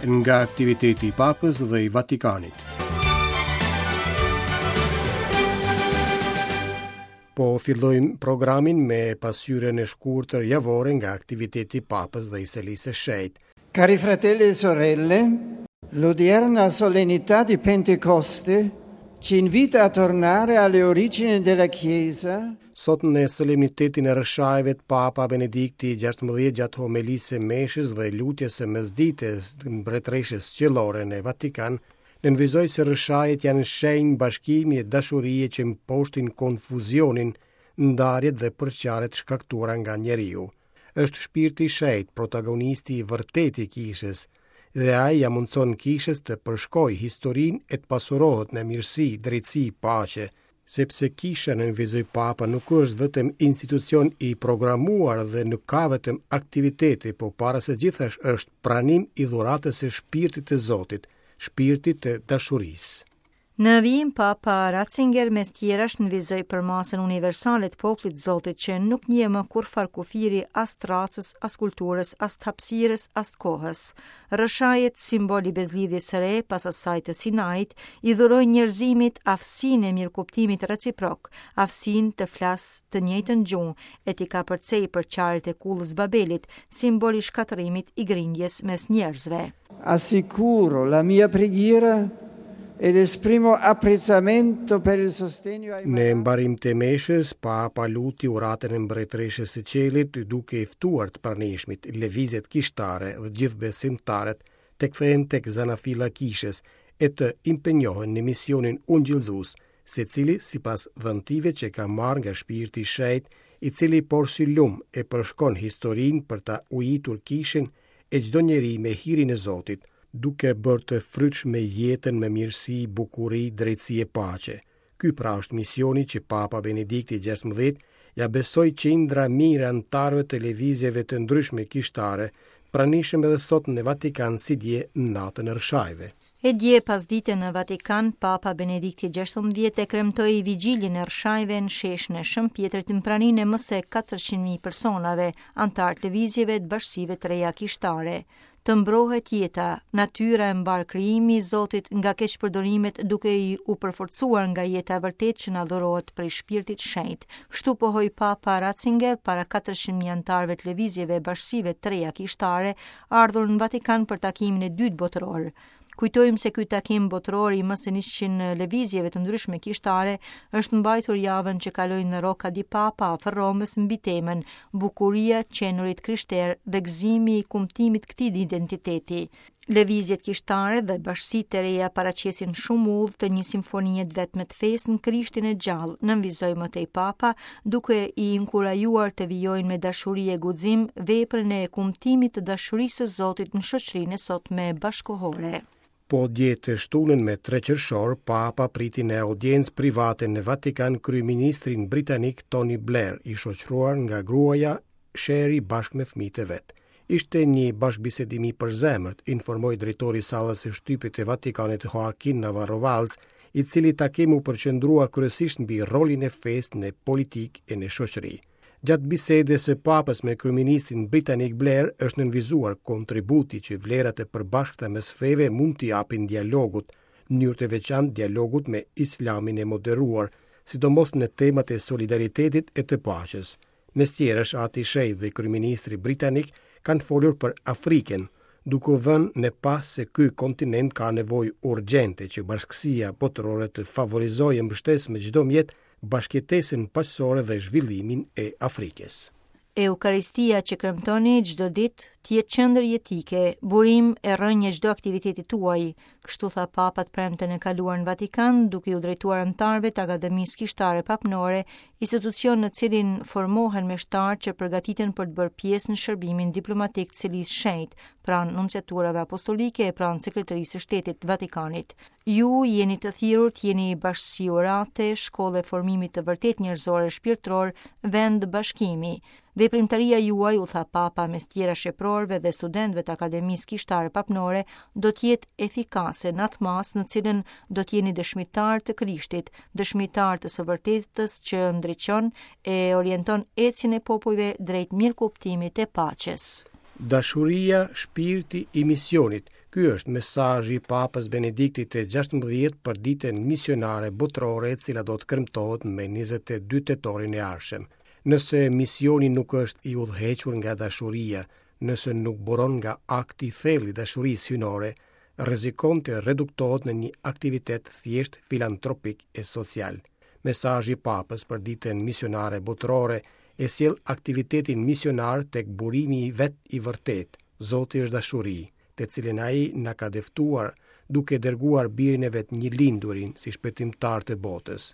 Nga aktiviteti i Papës dhe i Vatikanit. Po fillojmë programin me pasqyrën e shkurtër javore nga aktiviteti i Papës dhe i Selisë së Shenjtë. Cari fratelli e sorelle, l'odierna solennità di Pentecoste ci invita a tornare alle origini della Chiesa. Sot në solemnitetin e Rrëshajve Papa Benedikti XVI gjatë homelisë së meshës dhe lutjes së mesditës Mbretëreshës Qiellore në Vatikan, nënvizoi se Rrëshajet janë shenjë bashkimi e dashurie që mposhtin konfuzionin, ndarjet dhe përçarjet e shkaktuara nga njeriu. Është Shpirti i Shenjtë protagonisti i vërtetë i Kishës dhe ai ia mundëson Kishës të përshkojë historinë e të pasurohet me mirësi, drejtësi, paqe, sepse Kisha, nënvizoi Papa, nuk është vetëm institucion i programuar dhe nuk ka vetëm aktivitete, po para së gjithash është pranim i dhuratës së Shpirtit të Zotit, Shpirtit të dashurisë. Në vijim Papa Ratzinger mes tjerash nënvizoi përmasën universale të popullit të Zotit që nuk njeh më kurrfarë kufiri as të racës, as kulturës, as të hapësirës, as të kohës. Rrëshajet, simbol i bezlidhjes së re pas asaj të Sinait, i dhurojnë njerëzimit aftësinë e mirëkuptimit reciprok, aftësinë të flasë të njëjtën gjuhë e t'i kapërcejë përçarjet e kullës Babelit, simbol i shkatërrimit i grindjes mes njerëzve. Assicuro la mia preghiera ed esprimo apprezzamento per il sostegno ai Në mbarim të meshës, Papa luti uratën e Mbretëreshës së Qiellit, duke i ftuar të pranishmit, lëvizjet kishtare dhe gjithë besimtarët të kthehen tek zanafilla e kishës e të impenjohen në misionin ungjillëzues, secili sipas dhuntive që ka marrë nga Shpirti i Shenjtë, i cili porsi lumë e përshkon historinë për ta ujitur kishën e çdo njeri me hirin e Zotit, duke bërë të frytshme jetën me mirësi, bukuri, drejtësi e paqe. Ky pra është misioni që Papa Benedikti XVI ia besoi qindra mijëra anëtarëve të lëvizjeve të ndryshme kishtare, pranishëm edhe sot në Vatikan si dje në natën e Rrëshajve. E dje pasdite në Vatikan, Papa Benedikti XVI e kremtoi Vigjiljen e Rrëshajve në sheshin e Shën Pjetrit në praninë e më se 400.000 personave, anëtarë të lëvizjeve të bashkësive të reja kishtare. Të mbrohet jeta, natyra e mbarë krijimi i Zotit nga keqpërdorimet duke i u përforcuar nga jeta e vërtetë që na dhurohet prej Shpirtit Shenjt. Kështu pohoi Papa Ratzinger para 400.000 anëtarëve të lëvizjeve e bashkësive të reja kishtare, ardhur në Vatikan për takimin e dytë botëror. Kujtojmë se ky takim botëror i më se 100 lëvizjeve të ndryshme kishtare është mbajtur javën që kaloi në Rocca di Papa afër Romës mbi temën Bukuria e të qenurit krishterë dhe gëzimi i kumtimit këtij identiteti. Lëvizjet kishtare dhe bashkësitë e reja paraqesin shumë udhë të një simfonie të vetme të fesë në Krishtin e gjallë, nënvizoi më tej Papa, duke i inkurajuar të vijojnë me dashuri e guxim veprën e kumtimit të dashurisë së Zotit në shoqërinë e sotme bashkëkohore. Po dje të shtunën me 3 qershor, Papa priti në audiencë private në Vatikan kryeministrin britanik Tony Blair, i shoqëruar nga gruaja Cherie bashkë me fëmijët e vet. Ishte një bashkëbisedim i përzemërt, informoi drejtori i sallës së shtypit të Vatikanit Joaquin Navarro Valls, i cili takim u përqendrua kryesisht mbi rolin e fesë në politikë e në shoqëri. Gjatë bisedës së Papës me kryeministrin britanik Blair është nënvizuar kontributi që vlerat e përbashkëta mes feve mund t'i japin dialogut, në mënyrë të veçantë dialogut me Islamin e moderuar, sidomos në temat e solidaritetit e të paqes. Mes tjerash, Ati i Shenjtë dhe kryeministri britanik kanë folur për Afrikën, duke vënë në pah se ky kontinent ka nevojë urgjente që bashkësia botërore të favorizojë e mbështesë me çdo mjet bashkëjetesën paqësore dhe zhvillimin e Afrikës. Eukaristia që kremtoni çdo ditë të jetë qendër jetike, burim e rrënjë e çdo aktiviteti tuaj, Kështu tha Papa të premten e kaluar në Vatikan, duke iu drejtuar anëtarëve të Akademisë Kishtare Papnore, institucion në cilin formohen meshtarë që përgatiten për të bërë pjesë në shërbimin diplomatik të Selisë Shenjtë, pranë Nunciaturave Apostolike e pranë Sekretarisë së Shtetit të Vatikanit. Ju jeni të thirrur të jeni bashkësi urate, shkollë e formimit të vërtetë njerëzor e shpirtëror, vend bashkimi. Veprimtaria juaj, u tha Papa mes tjerash eprorëve dhe studentëve të Akademisë Kishtare Papnore, do të jetë efikase në atë masë në cilën do të jeni dëshmitarë të Krishtit, dëshmitarë të së vërtetës që ndriçon e orienton ecjen e popujve drejt mirëkuptimit e paqes. Dashuria, shpirti i misionit, Ky është mesazhi i Papës Benediktit të 16 për ditën misionare botërore e cila do të kremtohet me 22 tetorin e ardhshëm. Nëse misioni nuk është i udhëhequr nga dashuria, nëse nuk buron nga akti i thellë i dashurisë hyjnore, rrezikon të reduktohet në një aktivitet thjesht filantropik e social. Mesazhi i Papës për ditën misionare botërore e sjell aktivitetin misionar tek burimi i vet i vërtetë, Zoti është dashuri, të cilën ai na ka dëftuar duke dërguar birin e vet njëlindurin si shpëtimtar të botës.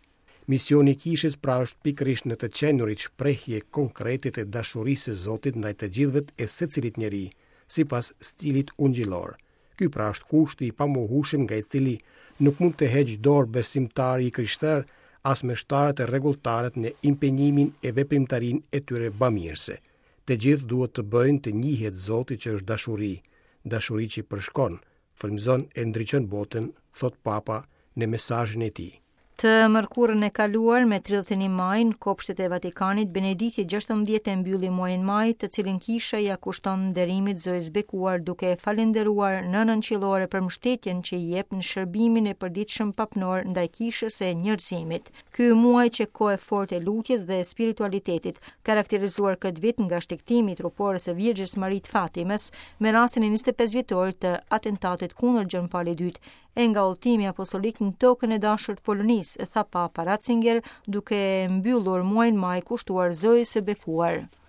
Misioni i kishës pra është pikërisht në të qenurit shprehje konkrete të dashurisë së Zotit ndaj të gjithëve e secilit njeri, sipas stilit ungjillor. Ky pra është kushti i pamohueshëm nga i cili nuk mund të heqë dorë besimtari i krishterë, as meshtarët e rregulltarët në impenjimin e veprimtarinë e tyre bamirëse. Të gjithë duhet të bëjnë të njihet Zoti që është dashuri, dashuri që përshkon, frymëzon e ndriçon botën, thotë Papa në mesazhin e tij. Të mërkurën e kaluar, me 31 maj, në kopshtet e Vatikanit, Benedikti 16 e mbylli muajin maj, të cilin kisha ia kushton nderimit Zojës Bekuar duke e falënderuar Nënën Qiellore për mbështetjen që i jep në shërbimin e përditshëm papnor ndaj kishës e njerëzimit. Ky muaj qe kohë e fortë e lutjes dhe e spiritualitetit, karakterizuar këtë vit nga shtegtimi i trupores së Virgjës Mari të Fatimes me rastin e 25 vjetorit të atentatit kundër Gjon Palit II e nga udhëtimi apostolik në tokën e dashur të Polonisë, tha Papa Ratzinger, duke mbyllur muajin maj kushtuar Zojës së Bekuar.